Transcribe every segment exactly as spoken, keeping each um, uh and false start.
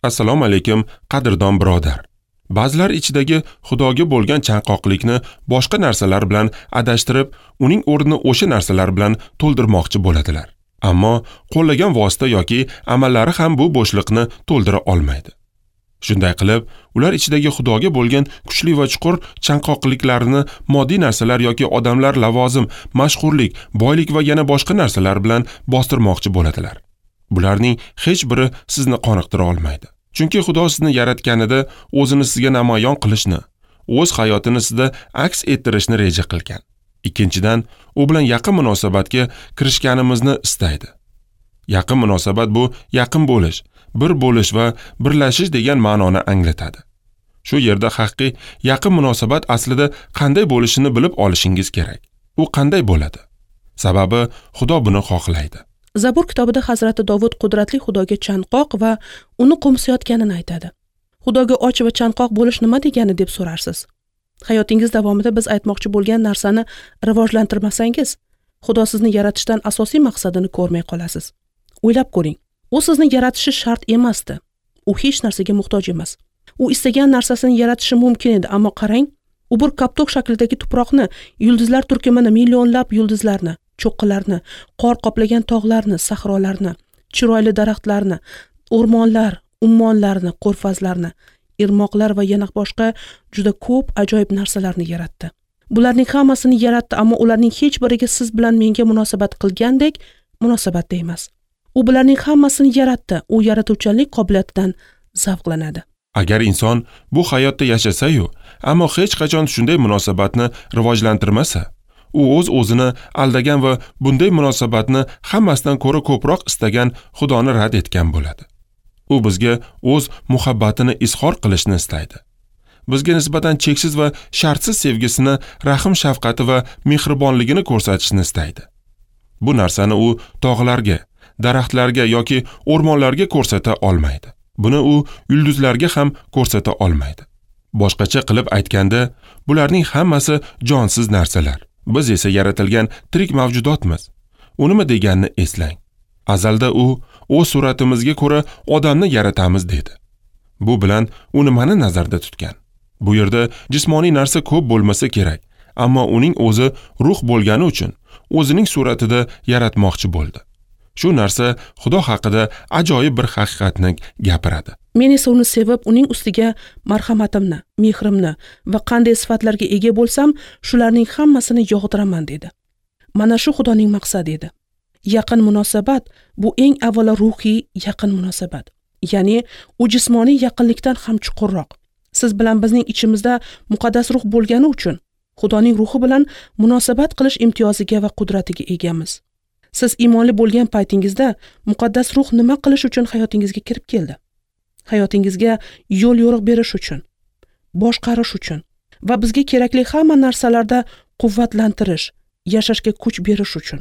Assalomu alaykum, qadrdon birodar. Ba'zilar ichidagi Xudoga bo'lgan chanqoqlikni boshqa narsalar bilan adashtirib, uning o'rnini o'sha narsalar bilan to'ldirmoqchi bo'ladilar. Ammo qo'llagan vosita yoki amallari ham bu bo'shliqni to'ldira olmaydi. Shunday qilib, ular ichidagi Xudoga bo'lgan kuchli va chuqur chanqoqliklarini moddiy narsalar yoki odamlar, lavozim, mashhurlik, boylik va yana boshqa narsalar bilan bostirmoqchi bo'ladilar. Bularning hech biri sizni qoniqtira olmaydi. Chunki Xudo sizni yaratganida o'zini sizga namoyon qilishni, o'z hayotini sizda aks ettirishni reja qilgan. Ikkinchidan, u bilan yaqin munosabatga kirishganimizni istaydi. Yaqin munosabat bu yaqin bo'lish, bir bo'lish va birlashish degan ma'noni anglatadi. Shu yerda haqiqiy yaqin munosabat aslida qanday bo'lishini bilib olishingiz kerak. U qanday bo'ladi? Sababi Xudo buni xohlaydi. Zabur kitobida Hazrati Dovud qudratli Xudoga chanqoq va uni qo'msayotganini aytadi. Xudoga och va chanqoq bo'lish nima degani deb so'rarsiz. Hayotingiz davomida biz aytmoqchi bo'lgan narsani rivojlantirmasangiz, Xudo sizni yaratishdan asosiy maqsadini ko'rmay qolasiz. O'ylab ko'ring. U sizni yaratishi shart emasdi. U hech narsaga muhtoj emas. U istagan narsasini yaratishi mumkin edi, ammo qarang, u bir koptok shaklidagi tuproqni, yulduzlar turkumini, millionlab yulduzlarni, cho'qqilarni, qor qoplagan tog'larni, sahrolarni, chiroyli daraxtlarni, o'rmonlar, ummonlarni, ko'rfazlarni, irmoqlar va yana boshqa juda ko'p ajoyib narsalarni yaratdi. Bularning hammasini yaratdi, ammo ularning hech biriga siz bilan menga munosabat qilgandek munosabatda emas. U bularning hammasini yaratdi. U yaratuvchanlik qobiliyatidan zavqlanadi. Agar inson bu hayotda yashasa-yu, ammo hech qachon shunday munosabatni rivojlantirmasa, u o'z-o'zini aldagan va bunday munosabatni hammasidan ko'ra ko'proq istagan Xudoni rad etgan bo'ladi. U bizga o'z muhabbatini izhor qilishni istaydi. Bizga nisbatan cheksiz va shartsiz sevgisini, rahim shafqati va mehribonligini ko'rsatishni istaydi. Bu narsani u tog'larga, daraxtlarga yoki o'rmonlarga ko'rsata olmaydi. Buni u yulduzlarga ham ko'rsata olmaydi. Boshqacha qilib aytganda, bularning hammasi jonsiz narsalar. Biz esa yaratilgan tirik mavjudotmiz. U nima deganini eslang. Azalda u o'z suratimizga ko'ra odamni yaratamiz dedi. Bu bilan u nimani nazarda tutgan? Bu yerda jismoniy narsa ko'p bo'lmasa kerak, ammo uning o'zi ruh bo'lgani uchun o'zining suratida yaratmoqchi bo'ldi. Shu narsa Xudo haqida ajoyib bir haqiqatni gapiradi. Men esa uni sevib, uning ustiga marhamatimni, mehrimni va qanday sifatlarga ega bo'lsam, shularning hammasini yog'diraman dedi. Mana shu Xudoning maqsadi edi. Yaqin munosabat bu eng avvalo ruhiy yaqin munosabat. Ya'ni u jismoniy yaqinlikdan ham chuqurroq. Siz bilan bizning ichimizda muqaddas ruh bo'lgani uchun Xudoning ruhi bilan munosabat qilish imtiyoziga va qudratiga egamiz. Siz iymonli bo'lgan paytingizda muqaddas ruh nima qilish uchun hayotingizga kirib keldi? Hayotingizga yo'l yo'riq berish uchun, boshqarish uchun va bizga kerakli hamma narsalarda quvvatlantirish, yashashga kuch berish uchun.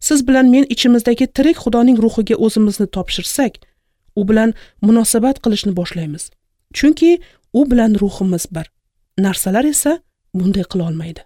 Siz bilan men ichimizdagi tirik Xudoning ruhiga o'zimizni topshirsak, u bilan munosabat qilishni boshlaymiz. Chunki u bilan ruhimiz bir. Narsalar esa bunday qila olmaydi.